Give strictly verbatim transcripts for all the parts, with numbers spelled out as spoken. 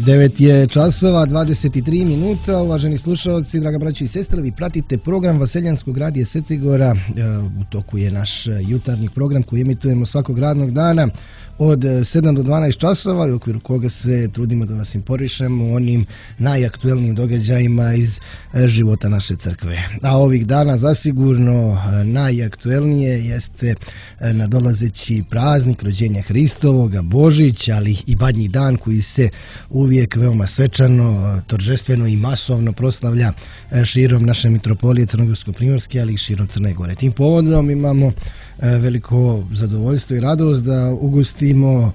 devet je časova, dvadeset tri minuta. Uvaženi slušalci, draga braći i sestre, vi pratite program Vaseljanskog radija Svetigora. U toku je naš jutarnji program koji emitujemo svakog radnog dana od sedam do dvanaest časova i u okviru koga se trudimo da vas informišemo o onim najaktuelnijim događajima iz života naše crkve. A ovih dana zasigurno najaktuelnije jeste nadolazeći praznik rođenja Hristovoga, Božić, ali i Badnji dan koji se uvijek veoma svečano, торжествено i masovno proslavlja širom naše mitropolije Crnogorsko-primorske, ali i širom Crne Gore. Tim povodom imamo veliko zadovoljstvo i radost da ugostimo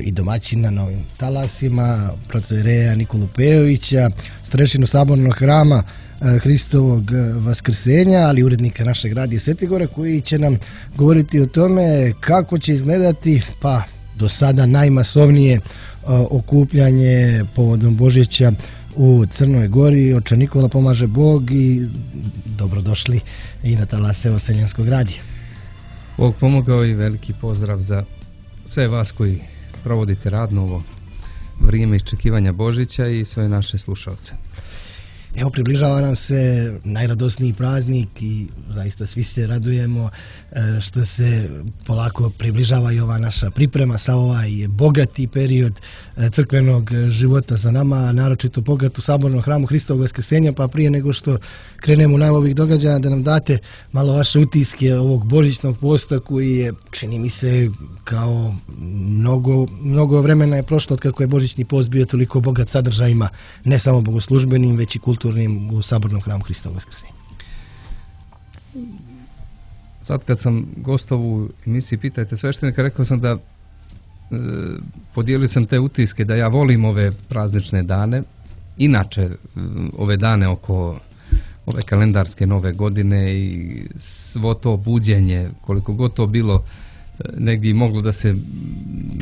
i domaćina na ovim talasima, protoijereja Nikolu Pejovića, starešinu sabornog hrama Hristovog vaskrsenja, ali urednika našeg radija Svetigora, koji će nam govoriti o tome kako će izgledati, pa do sada najmasovnije okupljanje povodom Božića u Crnoj Gori. Oče Nikola, pomaže Bog i dobrodošli i na talase Vaseljanskog radija. Bog pomogao i veliki pozdrav za sve vas koji provodite radno ovo vrijeme iščekivanja Božića i sve naše slušalce. Evo, približava nam se najradosniji praznik i zaista svi se radujemo što se polako približava i ova naša priprema sa ovaj bogati period crkvenog života za nama, naročito bogat u sabornom hramu Hristovog vaskrsenja. Pa prije nego što krenemo u najavu ovih događaja, da nam date malo vaše utiske ovog božićnog posta koji je, čini mi se, kao mnogo, mnogo vremena je prošlo od kako je božićni post bio toliko bogat sadržajima, ne samo bogoslužbenim, već i kulturnim u sabornom hramu Hristovog vaskrsenja. Sad kad sam gostovao u emisiji Pitajte sveštenika, rekao sam da e, podijelio sam te utiske da ja volim ove praznične dane, inače ove dane oko ove kalendarske nove godine i svo to buđenje, koliko god to bilo negdje moglo da se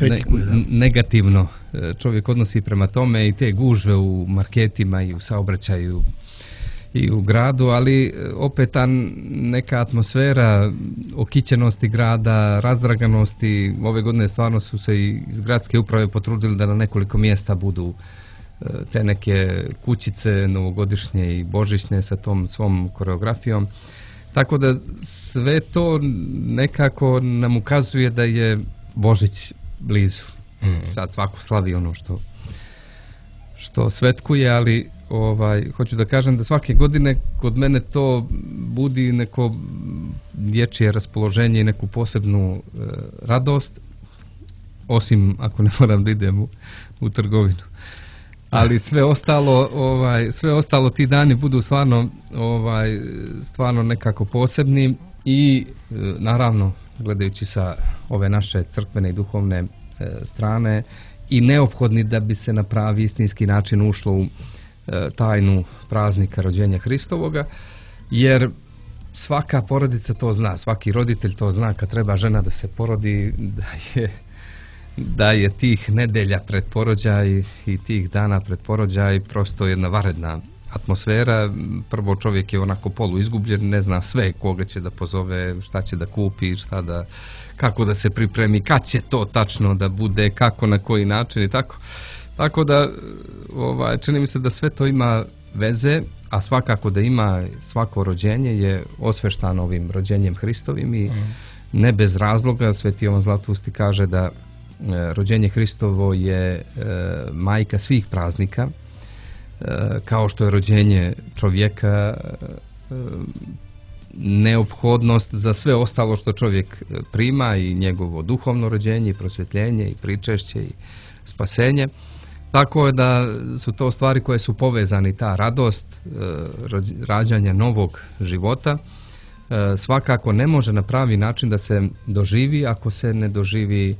ne, negativno čovjek odnosi prema tome, i te gužve u marketima i u saobraćaju i u gradu, ali opet ta neka atmosfera okićenosti grada, razdraganosti. Ove godine stvarno su se i iz gradske uprave potrudili da na nekoliko mjesta budu te neke kućice novogodišnje i božićne sa tom svom koreografijom. Tako da sve to nekako nam ukazuje da je Božić blizu. Mm. Sad svako slavi ono što, što svetkuje, ali ovaj, hoću da kažem da svake godine kod mene to budi neko dječje raspoloženje i neku posebnu e, radost, osim ako ne moram da idem u, u trgovinu. Ali sve ostalo, ovaj, sve ostalo ti dani budu stvarno, ovaj, stvarno nekako posebni i e, naravno gledajući sa ove naše crkvene i duhovne e, strane i neophodni da bi se na pravi istinski način ušlo u e, tajnu praznika rođenja Hristovoga, jer svaka porodica to zna, svaki roditelj to zna kad treba žena da se porodi, da je da je tih nedelja pred porođaj i tih dana pred porođaj prosto jedna vanredna atmosfera. Prvo, čovjek je onako polu izgubljen, ne zna sve koga će da pozove, šta će da kupi, šta da, kako da se pripremi, kad će to tačno da bude, kako, na koji način i tako. Tako da ovaj, čini mi se da sve to ima veze, a svakako da ima, svako rođenje je osveštano ovim rođenjem Hristovim i mm. ne bez razloga Sveti Jovan Zlatusti kaže da rođenje Hristovo je e, majka svih praznika, e, kao što je rođenje čovjeka e, neophodnost za sve ostalo što čovjek prima, i njegovo duhovno rođenje i prosvjetljenje i pričešće i spasenje. Tako je da su to stvari koje su povezani, ta radost e, rađanja novog života e, svakako ne može na pravi način da se doživi ako se ne doživi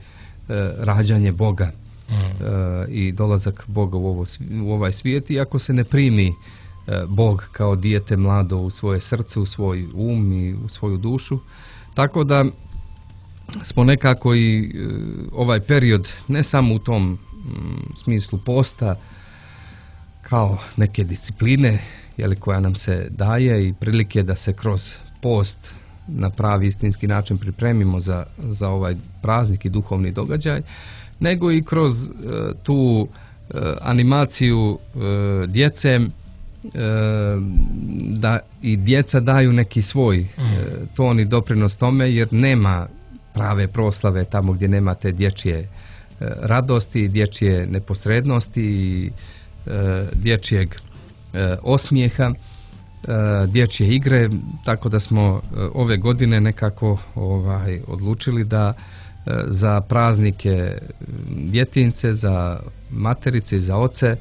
rađanje Boga mm. e, i dolazak Boga u, ovo, u ovaj svijet, i ako se ne primi e, Bog kao dijete mlado u svoje srce, u svoj um i u svoju dušu. Tako da smo nekako i e, ovaj period, ne samo u tom m, smislu posta kao neke discipline, jeli, koja nam se daje i prilike da se kroz post na pravi istinski način pripremimo za, za ovaj praznik i duhovni događaj, nego i kroz e, tu animaciju djece, da i djeca daju neki svoj ton i doprinos tome, jer nema prave proslave tamo gdje nema te dječje radosti, dječje neposrednosti i dječjeg osmijeha, dječje igre, tako da smo ove godine nekako ovaj, odlučili da za praznike djetince, za materice i za oce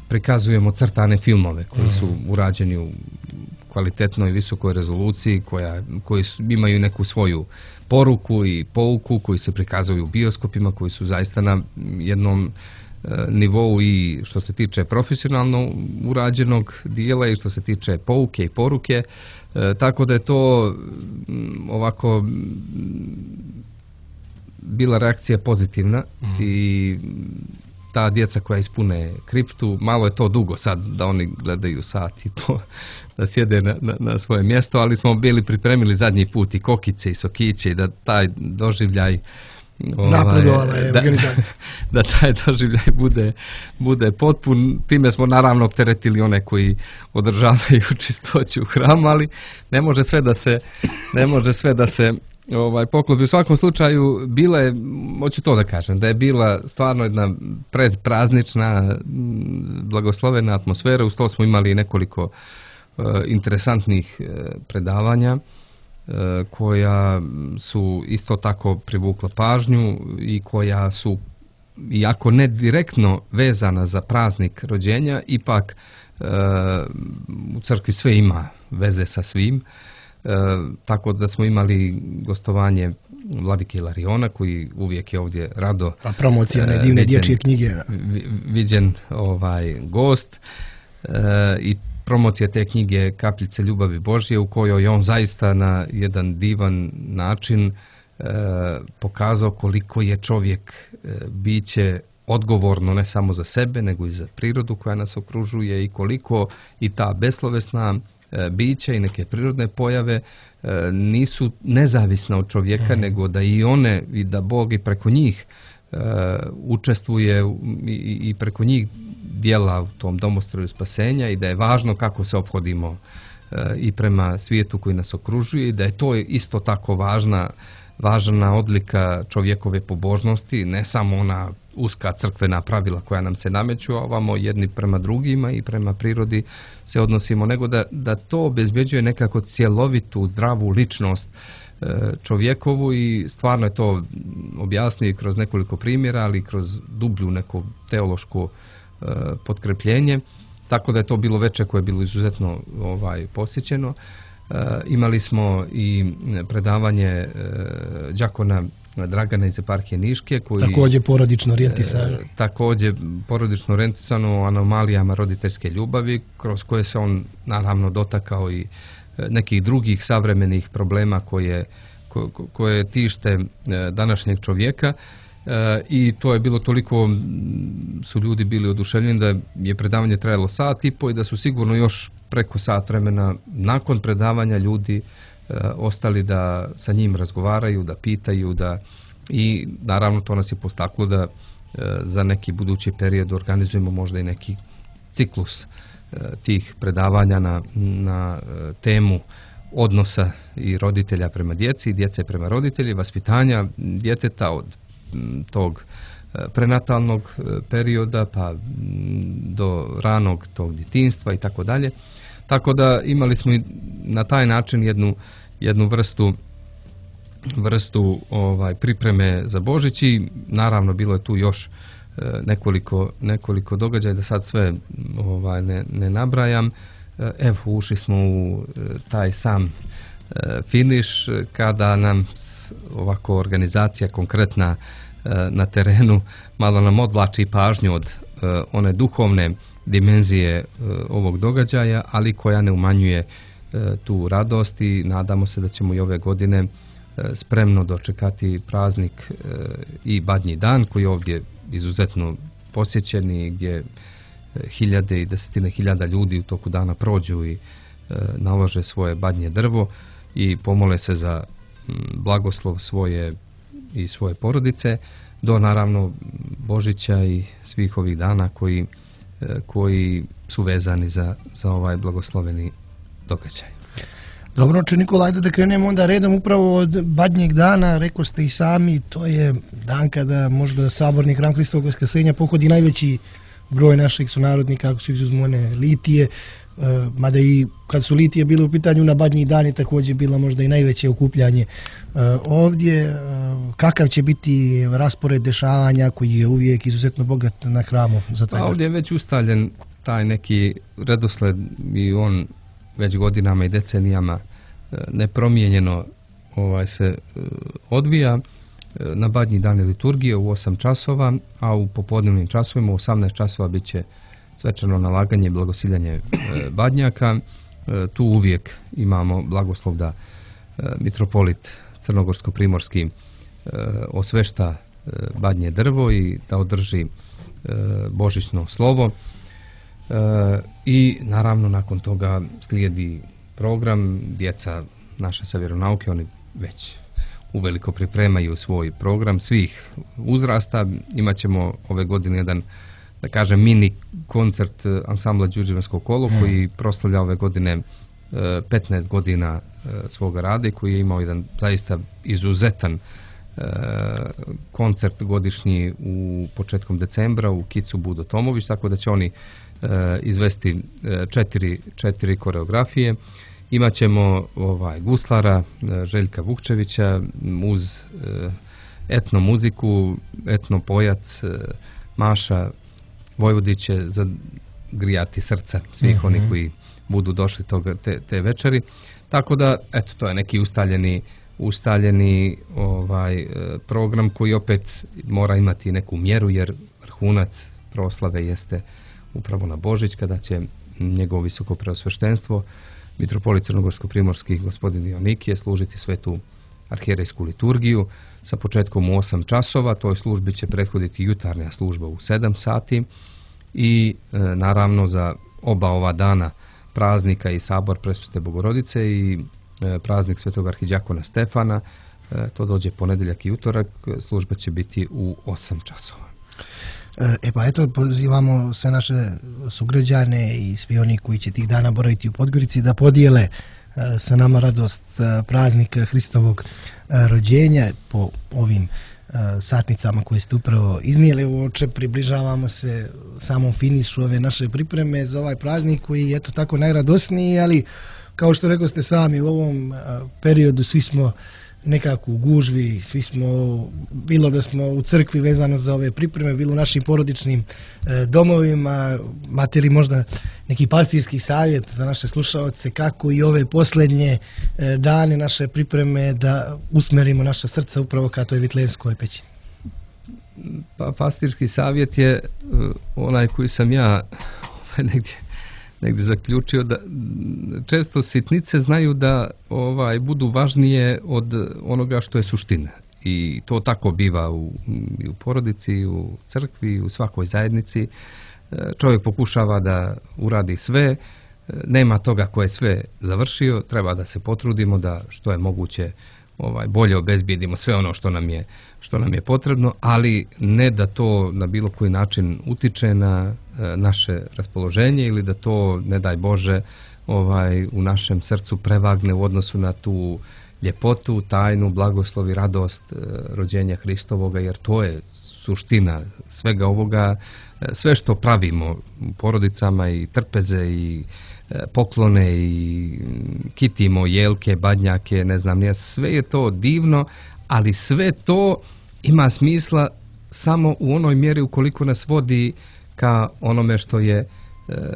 prikazujemo crtane filmove koji su urađeni u kvalitetnoj visokoj rezoluciji, koja, koji su, imaju neku svoju poruku i pouku, koji se prikazuju u bioskopima, koji su zaista na jednom nivou i što se tiče profesionalno urađenog dijela i što se tiče pouke i poruke, e, tako da je to m, ovako m, bila reakcija pozitivna mm. i ta djeca koja ispune kriptu, malo je to dugo sad da oni gledaju sat i po, da sjede na, na, na svoje mjesto, ali smo bili pripremili zadnji put i kokice i sokiće i da taj doživljaj Ovaj, da, da taj doživljaj bude, bude potpun. Time smo naravno opteretili one koji održavaju čistoću u hramu, ali ne može sve da se ne može sve da se ovaj, poklopi. U svakom slučaju bila je, hoću to da kažem, da je bila stvarno jedna predpraznična blagoslovena atmosfera. Uz to smo imali nekoliko uh, interesantnih uh, predavanja koja su isto tako privukla pažnju i koja su, iako ne direktno vezana za praznik rođenja, ipak e, u crkvi sve ima veze sa svim, e, tako da smo imali gostovanje vladike Ilariona, koji uvijek je ovdje rado a promocija ne divne dječje knjige viđen ovaj gost e, i promocija te knjige Kapljice ljubavi Božje, u kojoj on zaista na jedan divan način e, pokazao koliko je čovjek e, biće odgovorno ne samo za sebe, nego i za prirodu koja nas okružuje i koliko i ta beslovesna e, bića i neke prirodne pojave e, nisu nezavisne od čovjeka, mm. nego da i one i da Bog i preko njih e, učestvuje i, i preko njih dijela u tom domostroju spasenja i da je važno kako se ophodimo e, i prema svijetu koji nas okružuje i da je to isto tako važna, važna odlika čovjekove pobožnosti, ne samo ona uska crkvena pravila koja nam se nameću, a ovamo jedni prema drugima i prema prirodi se odnosimo, nego da, da to obezbeđuje nekako cjelovitu, zdravu ličnost e, čovjekovu i stvarno je to objasnio kroz nekoliko primjera, ali kroz dublju neku teološku potkrepljenje, tako da je to bilo veče koje je bilo izuzetno ovaj, posjećeno. E, imali smo i predavanje e, đakona Dragana iz eparhije Niške, koji također porodično orijentisano. E, također porodično orijentisano o anomalijama roditeljske ljubavi, kroz koje se on naravno dotakao i nekih drugih savremenih problema koje, ko, koje tište današnjeg čovjeka. E, i to je bilo toliko, su ljudi bili oduševljeni da je predavanje trajalo sat i po i da su sigurno još preko sat vremena nakon predavanja ljudi e, ostali da sa njim razgovaraju, da pitaju, da i naravno to nas je postaklo da e, za neki budući period organizujemo možda i neki ciklus e, tih predavanja na, na e, temu odnosa i roditelja prema djeci, djece prema roditelji, vaspitanja djeteta od tog prenatalnog perioda pa do ranog tog djetinjstva i tako dalje. Tako da imali smo i na taj način jednu, jednu vrstu vrstu ovaj pripreme za Božić i naravno bilo je tu još nekoliko, nekoliko događaja da sad sve ovaj ne, ne nabrajam. Evo, ušli smo u taj sam finiš kada nam ovako organizacija konkretna na terenu malo nam odvlači pažnju od one duhovne dimenzije ovog događaja, ali koja ne umanjuje tu radost i nadamo se da ćemo i ove godine spremno dočekati praznik i Badnji dan koji je ovdje izuzetno posjećen i gdje hiljade i desetine hiljada ljudi u toku dana prođu i nalože svoje badnje drvo i pomole se za blagoslov svoje i svoje porodice, do naravno Božića i svih ovih dana koji, koji su vezani za, za ovaj blagosloveni događaj. Dobro, oče Nikola, ajde da krenemo onda redom upravo od Badnjeg dana. Rekao ste i sami, to je dan kada možda saborni hram Hristovog vaskrsenja pohodi najveći broj naših sunarodnika, ako su izuzmu one litije, mada i kad su litije bile u pitanju na Badnji dan je također bila možda i najveće okupljanje ovdje. Kakav će biti raspored dešavanja koji je uvijek izuzetno bogat na hramu za taj dan? Ovdje je već ustaljen taj neki redosled i on već godinama i decenijama nepromijenjeno ovaj se odvija. Na Badnji dan je liturgije u osam časova, a u popodnevnim časovima u osamnaest časova bit će svečano nalaganje i blagosiljanje badnjaka. Tu uvijek imamo blagoslov da mitropolit crnogorsko-primorski osvešta badnje drvo i da održi božićno slovo. I naravno nakon toga slijedi program. Djeca naše sa vjeronauke, oni već uveliko pripremaju svoj program svih uzrasta. Imaćemo ove godine jedan, da kažem, mini koncert ansambla Đurđevansko kolo hmm. koji proslavlja ove godine petnaest godina svoga rada i koji je imao jedan zaista izuzetan koncert godišnji u početkom decembra u Kicu Budo Tomović, tako da će oni izvesti četiri, četiri koreografije. Imaćemo ovaj, guslara Željka Vukčevića uz etno muziku, etno pojac Maša Vojvodić će zagrijati srca svih mm-hmm. onih koji budu došli toga, te, te večeri. Tako da, eto, to je neki ustaljeni, ustaljeni ovaj, program koji opet mora imati neku mjeru, jer vrhunac proslave jeste upravo na Božić, kada će njegovo visoko preosveštenstvo mitropolit crnogorsko-primorski gospodin Dionikije služiti svetu arhijerejsku liturgiju sa početkom u osam časova. Toj službi će prethoditi jutarnja služba u sedam sati i e, naravno za oba ova dana praznika i sabor Presvete Bogorodice i e, praznik svetog arhidjakona Stefana, e, to dođe ponedjeljak i utorak, služba će biti u osam časova. E pa eto, pozivamo sve naše sugrađane i svi oni koji će tih dana boraviti u Podgorici da podijele sa nama radost praznika Hristovog rođenja po ovim satnicama koje ste upravo iznijeli. Oče, približavamo se samom finišu ove naše pripreme za ovaj praznik koji je eto tako najradosniji, ali kao što rekao ste sami, u ovom periodu svi smo nekako u gužvi, svi smo, bilo da smo u crkvi vezano za ove pripreme, bilo u našim porodičnim e, domovima. Imate li možda neki pastirski savjet za naše slušaoce kako i ove posljednje e, dane naše pripreme da usmerimo naša srca upravo ka toj Vitlejemskoj pećini? Pa pastirski savjet je onaj koji sam ja negdje negdje zaključio, da često sitnice znaju da ovaj budu važnije od onoga što je suština. I to tako biva u, i u porodici, i u crkvi, i u svakoj zajednici. Čovjek pokušava da uradi sve, nema toga ko je sve završio, treba da se potrudimo da što je moguće ovaj bolje obezbijedimo sve ono što nam je što nam je potrebno, ali ne da to na bilo koji način utiče na e, naše raspoloženje ili da to, ne daj Bože, ovaj u našem srcu prevagne u odnosu na tu ljepotu, tajnu, blagoslov i radost e, rođenja Hristovoga, jer to je suština svega ovoga. E, sve što pravimo u porodicama i trpeze i poklone i kitimo jelke, badnjake, ne znam, ja, sve je to divno, ali sve to ima smisla samo u onoj mjeri ukoliko nas vodi ka onome što je e,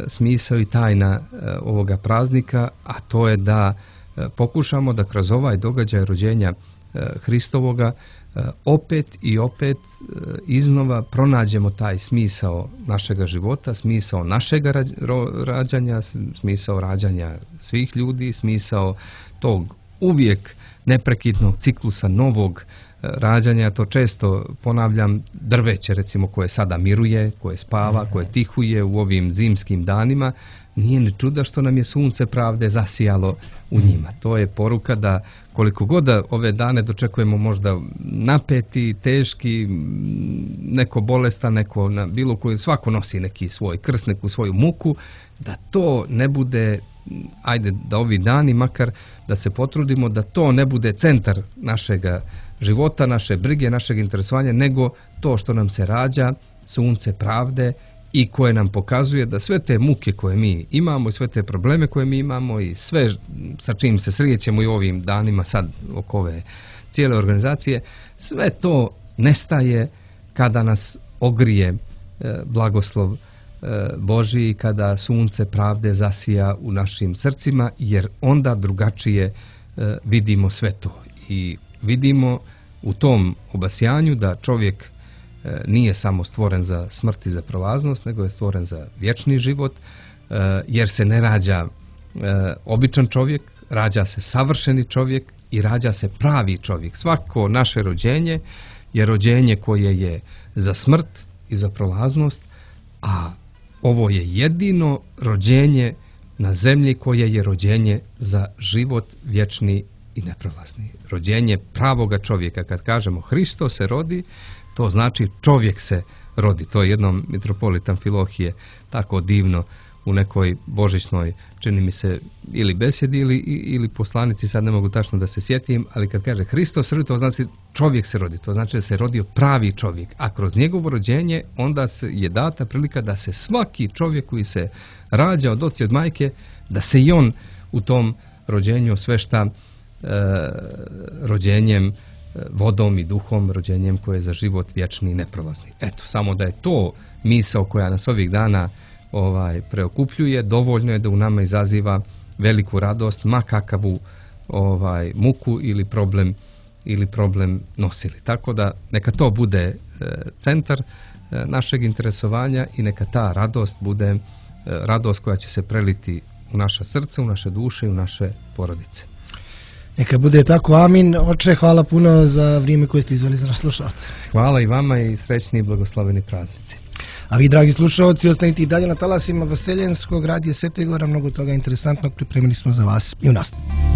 smisao i tajna e, ovoga praznika, a to je da e, pokušamo da kroz ovaj događaj rođenja e, Hristovoga e, opet i opet e, iznova pronađemo taj smisao našega života, smisao našega ra, ro, rađanja, smisao rađanja svih ljudi, smisao tog uvijek neprekidnog ciklusa novog rađanja. To često ponavljam, drveće recimo koje sada miruje, koje spava, koje tihuje u ovim zimskim danima, nije ni čuda što nam je sunce pravde zasijalo u njima. To je poruka da koliko god da ove dane dočekujemo možda napeti, teški, neko bolestan, neko na bilo koji, svako nosi neki svoj krst, neku svoju muku, da to ne bude, ajde da ovi dani makar da se potrudimo da to ne bude centar našega života, naše brige, našeg interesovanja, nego to što nam se rađa, sunce pravde, i koje nam pokazuje da sve te muke koje mi imamo i sve te probleme koje mi imamo i sve sa čim se srećemo i ovim danima sad oko ove cijele organizacije, sve to nestaje kada nas ogrije e, blagoslov e, Božji, kada sunce pravde zasija u našim srcima, jer onda drugačije e, vidimo sve to i vidimo u tom obasjanju da čovjek nije samo stvoren za smrt i za prolaznost, nego je stvoren za vječni život, jer se ne rađa običan čovjek, rađa se savršeni čovjek i rađa se pravi čovjek. Svako naše rođenje je rođenje koje je za smrt i za prolaznost, a ovo je jedino rođenje na zemlji koje je rođenje za život vječni i neprolazni. Rođenje pravoga čovjeka. Kad kažemo Hristo se rodi, to znači čovjek se rodi. To je jednom mitropolit Amfilohije tako divno u nekoj božićnoj, čini mi se, ili besjedi ili, ili poslanici, sad ne mogu tačno da se sjetim, ali kad kaže Hristos se rodi, to znači čovjek se rodi. To znači da se rodio pravi čovjek. A kroz njegovo rođenje onda se je data prilika da se svaki čovjek koji se rađa od oca i od majke, da se i on u tom rođenju osvešta e, rođenjem vodom i duhom, rođenjem koje je za život vječni i neprolazni. Eto, samo da je to misao koja nas ovih dana ovaj preokupljuje, dovoljno je da u nama izaziva veliku radost, ma kakavu ovaj muku ili problem ili problem nosili. Tako da neka to bude e, centar e, našeg interesovanja i neka ta radost bude e, radost koja će se preliti u naša srca, u naše duše i u naše porodice. Neka bude tako, amin. Oče, hvala puno za vrijeme koje ste izveli za nas slušalce. Hvala i vama i srećni i blagosloveni praznici. A vi, dragi slušalci, ostanite i dalje na talasima Vaseljenskog radija Svete Gora. Mnogo toga interesantnog pripremili smo za vas i u nastavu.